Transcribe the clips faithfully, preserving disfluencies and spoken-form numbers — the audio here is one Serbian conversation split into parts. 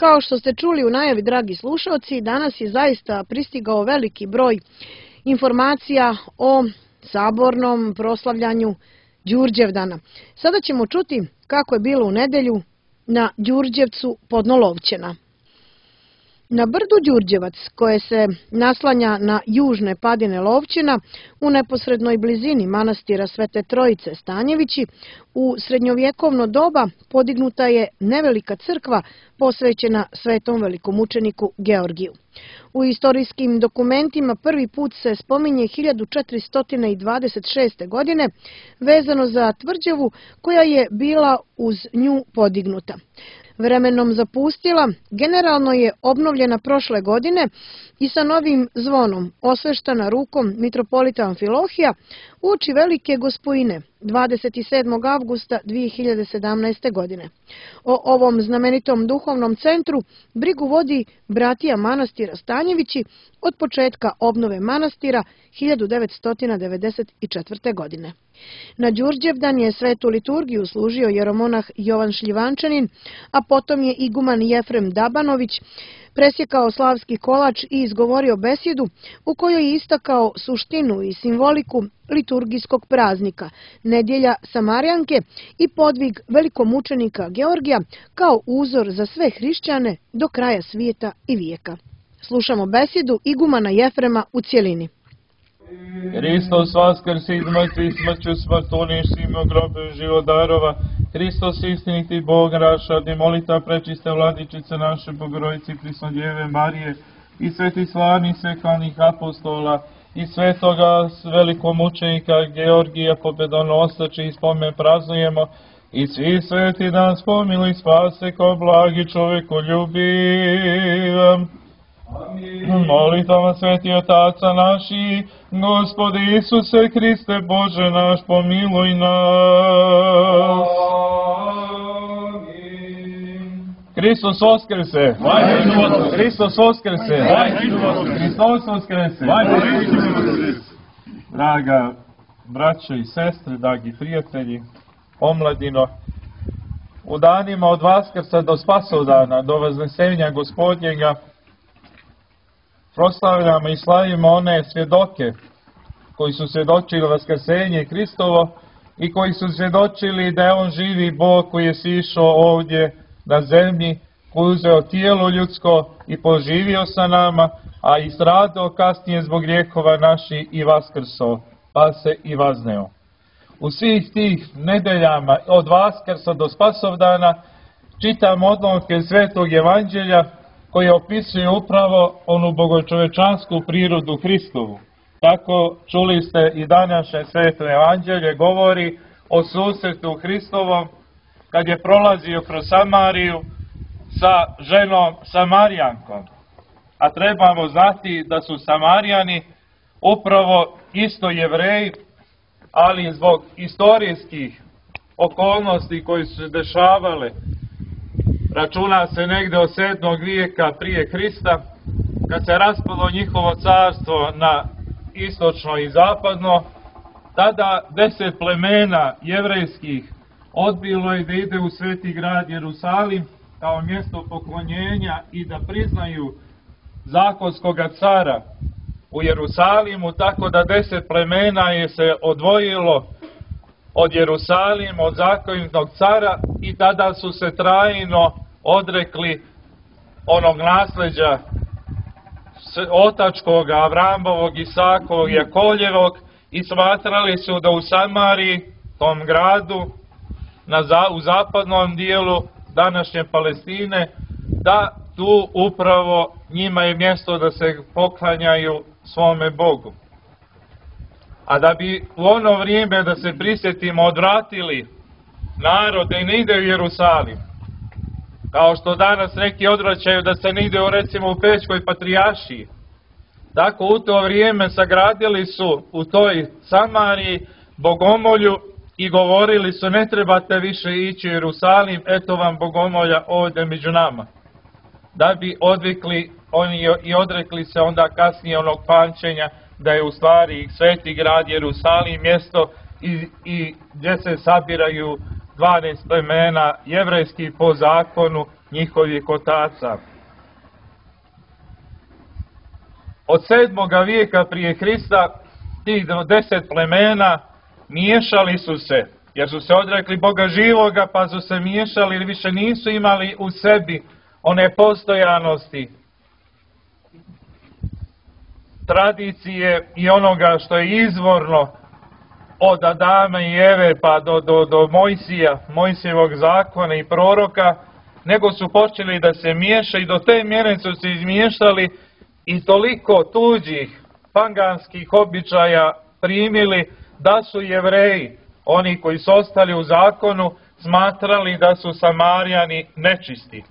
Kao što ste čuli u najavi, dragi slušalci, danas je zaista pristigao veliki broj informacija o sabornom proslavljanju Đurđevdana. Sada ćemo čuti kako je bilo u nedelju na Đurđevcu Podnolovćena. Na brdu Đurđevac, koje se naslanja na južne padine Lovćena, u neposrednoj blizini manastira Svete Trojice Stanjevići, u srednjovjekovno doba podignuta je nevelika crkva posvećena svetom velikomučeniku Georgiju. U istorijskim dokumentima prvi put se spominje hiljadu četiristo dvadeset šeste. godine vezano za tvrđavu koja je bila uz nju podignuta. Vremenom zapustila, generalno je obnovljena prošle godine i sa novim zvonom, osveštana rukom mitropolita Amfilohija, uoči Velike Gospojine dvadeset sedmog avgusta dve hiljade sedamnaeste. godine. O ovom znamenitom duhovnom centru brigu vodi bratija manastira Stanjevići od početka obnove manastira hiljadu devetsto devedeset četvrte. godine. Na Đurđevdan je svetu liturgiju služio jeromonah Jovan Šljivančanin, a potom je iguman Jefrem Dabanović presjekao slavski kolač i izgovorio besjedu u kojoj je istakao suštinu i simboliku liturgijskog praznika, nedjelja Samarijanke i podvig velikomučenika Georgija kao uzor za sve hrišćane do kraja svijeta i vijeka. Slušamo besjedu igumana Jefrema u cjelini. Hristos vaskrsi iz mrtvih, smrću smrt uništimo, grobe život darova. Hristos istiniti Bog naš, radi molita prečiste vladičice naše Bogorodice Prisnodjeve Marije i sveti slavnih sveklanih apostola i svetoga velikomučenika Georgija pobedonosače i spomen praznujemo i svi sveti dan spomiluj spase ko blagi čoveku ljubiv. Molitama sveti otaca naši, Gospodi Isuse Hriste Bože naš, pomiluj nas. Hristos Voskrese! Hristos Voskrese! Hristos Voskrese! Draga braćo i sestre, dragi prijatelji, omladino, u danima od Vaskrsa do Spasovdana, do Vaznesenja Gospodnjega, proslavljamo i slavimo one svjedoke koji su svjedočili vaskrsenje Hristovo i koji su svjedočili da je On živi Bog koji je sišao ovdje na zemlji, koji je uzeo tijelo ljudsko i poživio sa nama, a i stradao kasnije zbog grijehova naših i vaskrso, pa se i vazneo. U svih tih nedeljama od Vaskrsa do Spasovdana čitam odlomke Svetog Evanđelja koji opisuje upravo onu bogočovečansku prirodu Hristovu. Tako čuli ste i današnje Sveto Evanđelje govori o susretu Hristovom kad je prolazio kroz Samariju sa ženom Samarijankom. A trebamo znati da su Samarijani upravo isto Jevreji, ali zbog istorijskih okolnosti koji su se dešavale, računa se negde od sedmog vijeka prije Hrista, kad se raspalo njihovo carstvo na istočno i zapadno, tada deset plemena jevrejskih odbilo je da ide u sveti grad Jerusalim kao mjesto poklonjenja i da priznaju zakonskoga cara u Jerusalimu, tako da deset plemena je se odvojilo od Jerusalima, od zakonitog cara, i tada su se trajno odrekli onog nasljeđa otačkog, Avramovog, Isakovog, Jakoljevog, i smatrali su da u Samariji, tom gradu, na, u zapadnom dijelu današnje Palestine, da tu upravo njima je mjesto da se poklanjaju svome Bogu. A da bi u ono vrijeme, da se prisjetimo, odvratili narod da ne ide u Jerusalim, kao što danas neki odvraćaju da se ne ide u, recimo, u Pećkoj patrijaršiji, tako u to vrijeme sagradili su u toj Samariji bogomolju i govorili su: ne trebate više ići u Jerusalim, eto vam bogomolja ovdje među nama. Da bi odvikli oni i odrekli se onda kasnije onog pamćenja da je u stvari sveti grad Jerusalim mjesto i, i gdje se sabiraju dvanaest plemena jevrejskih po zakonu njihovih otaca. Od sedmoga vijeka prije Hrista tih deset plemena miješali su se, jer su se odrekli Boga živoga, pa su se miješali jer više nisu imali u sebi one postojanosti, tradicije i onoga što je izvorno od Adama i Eve pa do, do, do Mojsija, Mojsijevog zakona i proroka, nego su počeli da se miješaju i do te mjere su se izmiješali i toliko tuđih paganskih običaja primili da su Jevreji, oni koji su ostali u zakonu, smatrali da su Samarijani nečisti.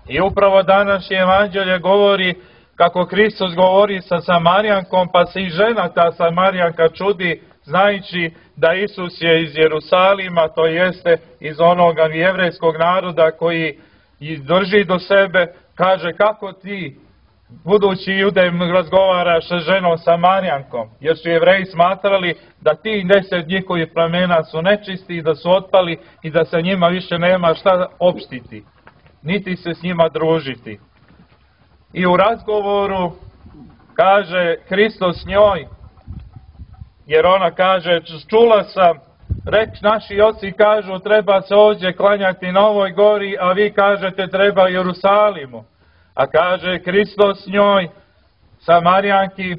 I upravo današnje evanđelje govori kako Hristos govori sa Samarijankom, pa se i žena ta Samarijanka čudi, znajući da Isus je iz Jerusalima, to jeste iz onoga jevrejskog naroda koji drži do sebe, kaže kako ti, budući Judej, razgovaraš sa ženom Samarijankom, jer su Jevreji smatrali da ti deset njihovih plemena su nečisti i da su otpali i da sa njima više nema šta opštiti, niti se s njima družiti. I u razgovoru kaže Hristos njoj, jer ona kaže, čula sam, reč naši oci kažu treba se ovdje klanjati na ovoj gori, a vi kažete treba Jerusalimu. A kaže Hristos njoj, Samarijanki,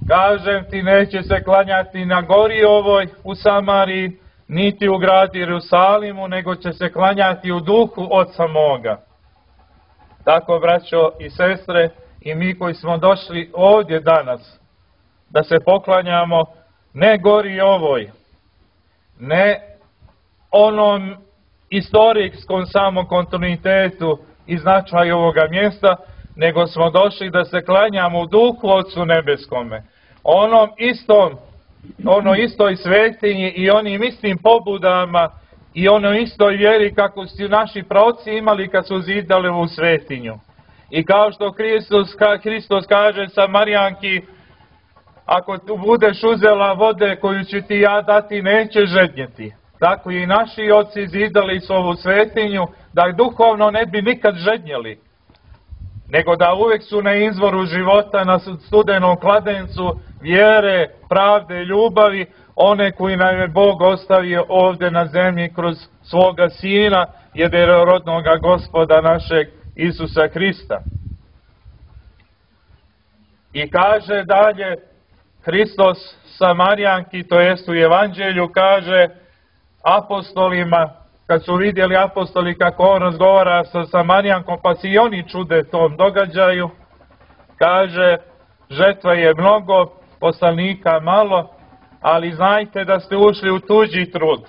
kažem ti neće se klanjati na gori ovoj u Samariji, niti u gradu Jerusalimu, nego će se klanjati u duhu Oca moga. Tako, braćo i sestre, i mi koji smo došli ovdje danas, da se poklanjamo ne gori ovoj, ne onom istorijskom samom kontinuitetu i značaju ovoga mjesta, nego smo došli da se klanjamo u duhu Otcu nebeskome, onom istom, ono istoj svetinji i onim istim pobudama i onoj istoj vjeri kako su naši praoci imali kad su zidali u svetinju. I kao što Hristos, Hristos kaže Samarijanki, ako tu budeš uzela vode koju ću ti ja dati, neće žednjeti. Tako i naši oci zidali su ovu svetinju, da duhovno ne bi nikad žednjeli, nego da uvijek su na izvoru života, na studenom kladencu vjere, pravde, ljubavi, one koji nam je Bog ostavio ovdje na zemlji kroz svoga Sina, jedinorodnoga Gospoda našeg Isusa Hrista. I kaže dalje Hristos Samarijanki, to jest u Evanđelju, kaže apostolima, kad su vidjeli apostoli kako on razgovara sa Samarijankom, pa se i oni čude tom događaju, kaže, žetva je mnogo, poslanika malo, ali znajte da ste ušli u tuđi trud.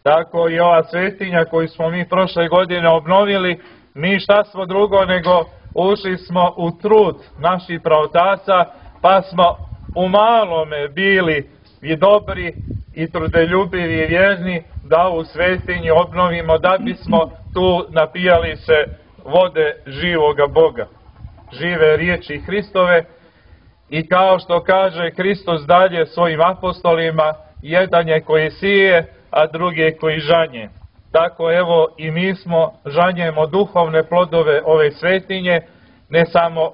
Tako i ova svetinja koju smo mi prošle godine obnovili, mi šta smo drugo nego ušli smo u trud naših praotaca, pa smo u malome bili i dobri i trudeljubivi i vjerni da ovu svetinju obnovimo, da bismo tu napijali se vode živoga Boga, žive riječi Hristove. I kao što kaže Hristos dalje svojim apostolima, jedan je koji sije, a drugi je koji žanje. Tako evo i mi smo žanjemo duhovne plodove ove svetinje, ne samo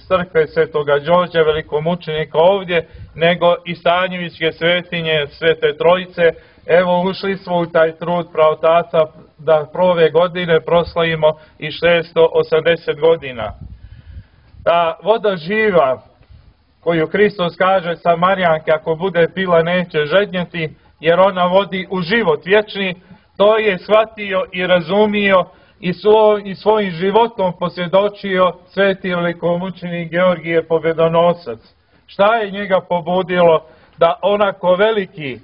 crkve Svetoga Đorđa, velikomučenika ovdje, nego i Stanjevićke svetinje Svete Trojice. Evo ušli smo u taj trud praotaca da prove godine proslavimo i šesto osamdeset godina. Ta voda živa koju Hristos kaže Samarijanke, ako bude pila neće žednjeti, jer ona vodi u život vječni, to je shvatio i razumio i, svo, i svojim životom posvjedočio sveti velikomučenik Georgije Pobjedonosac. Šta je njega pobudilo da onako veliki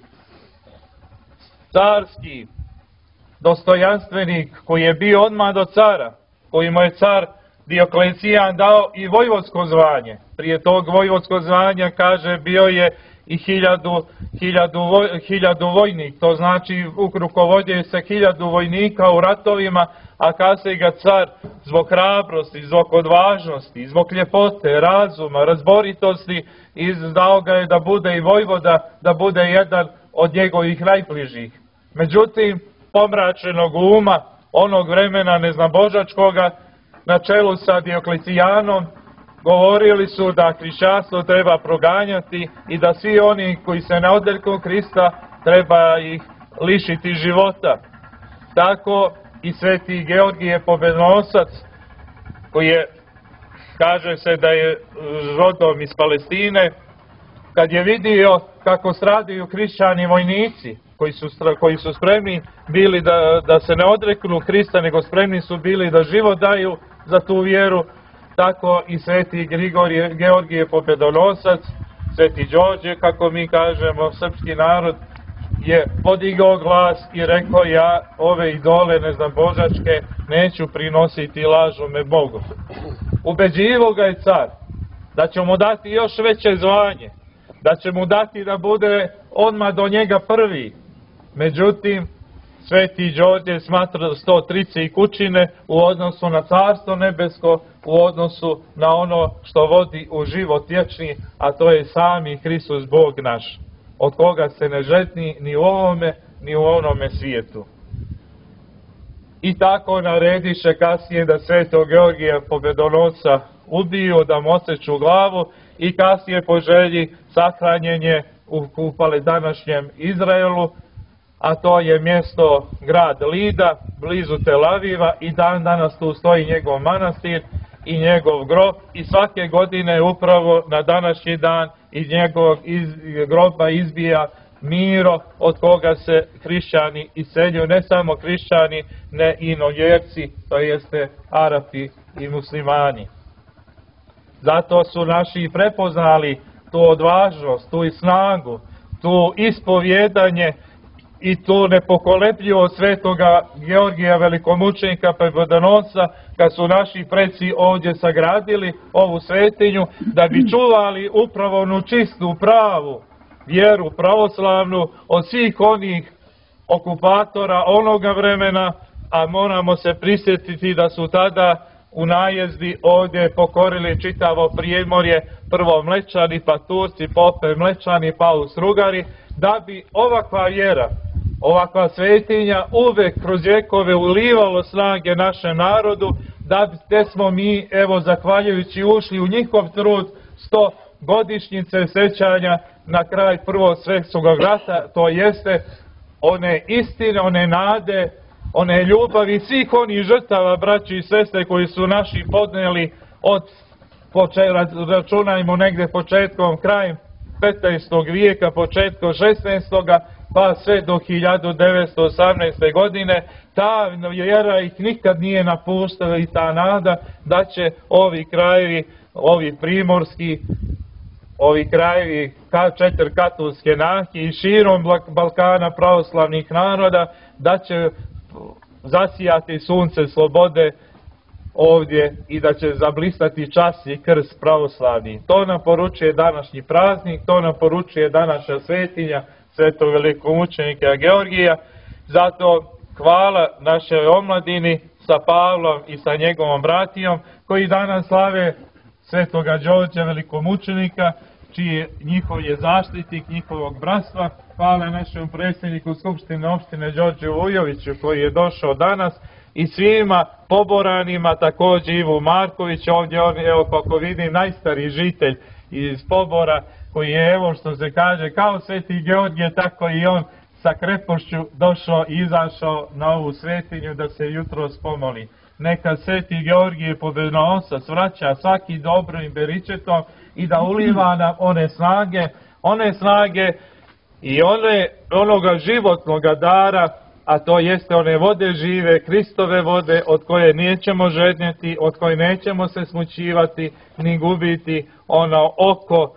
carski dostojanstvenik koji je bio odmah do cara, koji mu je car Dioklecijan dao i vojvodsko zvanje. Prije tog vojvodsko zvanja, kaže, bio je i hiljadu, hiljadu, hiljadu vojnik, to znači rukovodio se hiljadu vojnika u ratovima, a kasnije ga car zbog hrabrosti, zbog odvažnosti, zbog ljepote, razuma, razboritosti izdao ga je da bude i vojvoda, da bude jedan od njegovih najbližih. Međutim, pomračenog uma, onog vremena neznabožačkoga na čelu sa Dioklecijanom govorili su da hrišćanstvo treba proganjati i da svi oni koji se ne odreknu Krista treba ih lišiti života. Tako i sveti Georgije Pobednonosac, koji je, kaže se da je rodom iz Palestine, kad je vidio kako stradaju hrišćani vojnici koji su, koji su spremni bili da, da se ne odreknu Krista, nego spremni su bili da život daju za tu vjeru, tako i sveti Grigorije, Georgije Pobjedonosac, sveti Đorđe, kako mi kažemo, srpski narod, je podigao glas i rekao: ja ove idole neznabožačke neću prinositi lažome Bogu. Ubeđivo ga je car da će mu dati još veće zvanje, da će mu dati da bude odmah do njega prvi. Međutim, sveti Đorđe smatra sto trice i kućine u odnosu na carstvo nebesko, u odnosu na ono što vodi u život vječni, a to je sami Hristos Bog naš, od koga se ne žetni ni u ovome, ni u onome svijetu. I tako narediše kasnije da svetog Georgija Pobjedonosca ubiju, da mu oseču glavu, i kasnije po želji sahranjen je u, u današnjem Izraelu, a to je mjesto grad Lida, blizu Tel Aviva, i dan danas tu stoji njegov manastir i njegov grob, i svake godine upravo na današnji dan iz njegovog iz, groba izbija Miro, od koga se hrišćani iseljuju, ne samo hrišćani, ne i novjerci, to jeste Arapi i muslimani. Zato su naši prepoznali tu odvažnost, tu i snagu, tu ispovjedanje i tu nepokolepljivost svetoga Georgija velikomučenika Pobjedonosca, kad su naši preci ovdje sagradili ovu svetinju, da bi čuvali upravo onu čistu, pravu vjeru pravoslavnu od svih onih okupatora onoga vremena, a moramo se prisjetiti da su tada u najezdi ovdje pokorili čitavo Primorje, prvo Mlečani, pa Turci, pa opet Mlečani, pa Austrougarhi, da bi ovakva vjera, ovakva svetinja uvek kroz vjekove ulivalo snage našem narodu, da bi te smo mi, evo, zahvaljujući, ušli u njihov trud sto godišnjice sećanja na kraj Prvog svjetskog rata, to jeste one istine, one nade, one ljubavi svih onih žrtava, braći i sestre, koji su naši podneli od, računajmo negdje početkom, krajem petnaestog vijeka, početkom šesnaestog pa sve do hiljadu devetsto osamnaeste. godine, ta vjera ih nikad nije napuštala, i ta nada da će ovi krajevi, ovi primorski, ovi krajevi četiri katolske nahije i širom Balkana pravoslavnih naroda, da će zasijati sunce slobode ovdje i da će zablistati čas i krst pravoslavni. To nam poručuje današnji praznik, to nam poručuje današnja svetinja svetog velikomučenika Georgija. Zato hvala našoj omladini sa Pavlom i sa njegovom bratijom, koji danas slave svetoga Đorđa velikomučenika, čiji njihov je zaštitnik njihovog bratstva. Hvala našem predsjedniku Skupštine opštine Đorđu Vujoviću, koji je došao danas, i svima poboranima, također Ivu Marković, ovdje on, evo, kako vidim, najstariji žitelj iz Pobora, koji je, evo što se kaže, kao sveti Georgije, tako i on sa krepošću došao i izašao na ovu svetinju da se jutros pomoli. Neka sveti Georgije Pobjedonosac vraća svaki dobrim beričetom i da uliva nam one snage, one snage i one, onoga životnoga dara, a to jeste one vode žive, Kristove vode, od koje nećemo žednjeti, od koje nećemo se smućivati, ni gubiti ono oko,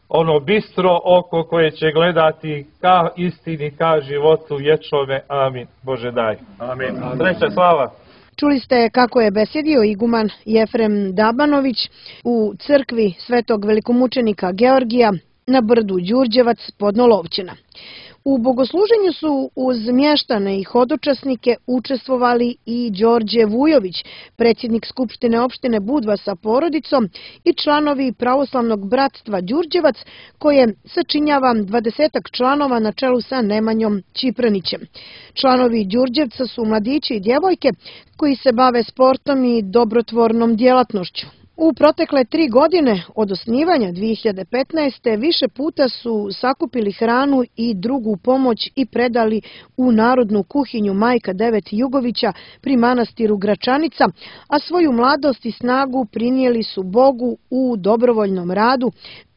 ono bistro oko koje će gledati ka istini, ka životu vječnome. Amin. Bože daj. Amin. Sreća, slava. Čuli ste kako je besjedio iguman Jefrem Dabanović u crkvi svetog velikomučenika Georgija na brdu Đurđevac pod Nolovćina. U bogosluženju su uz mještane i hodočasnike učestvovali i Đorđe Vujović, predsjednik Skupštine opštine Budva sa porodicom i članovi Pravoslavnog bratstva Đurđevac, koje sačinjava dvadesetak članova na čelu sa Nemanjom Čipranićem. Članovi Đurđevca su mladići i djevojke koji se bave sportom i dobrotvornom djelatnošću. U protekle tri godine od osnivanja dvije hiljade petnaeste. više puta su sakupili hranu i drugu pomoć i predali u Narodnu kuhinju Majka Devet Jugovića pri manastiru Gračanica, a svoju mladost i snagu prinijeli su Bogu u dobrovoljnom radu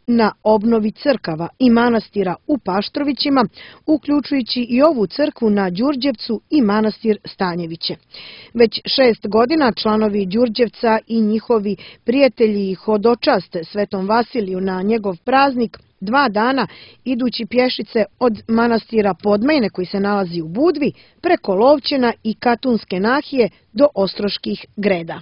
na obnovi crkava i manastira u Paštrovićima, uključujući i ovu crkvu na Đurđevcu i manastir Stanjeviće. Već šest godina članovi Đurđevca i njihovi prijatelji hodočaste Svetom Vasiliju na njegov praznik dva dana idući pješice od manastira Podmajne koji se nalazi u Budvi preko Lovćena i Katunske nahije do Ostroških Greda.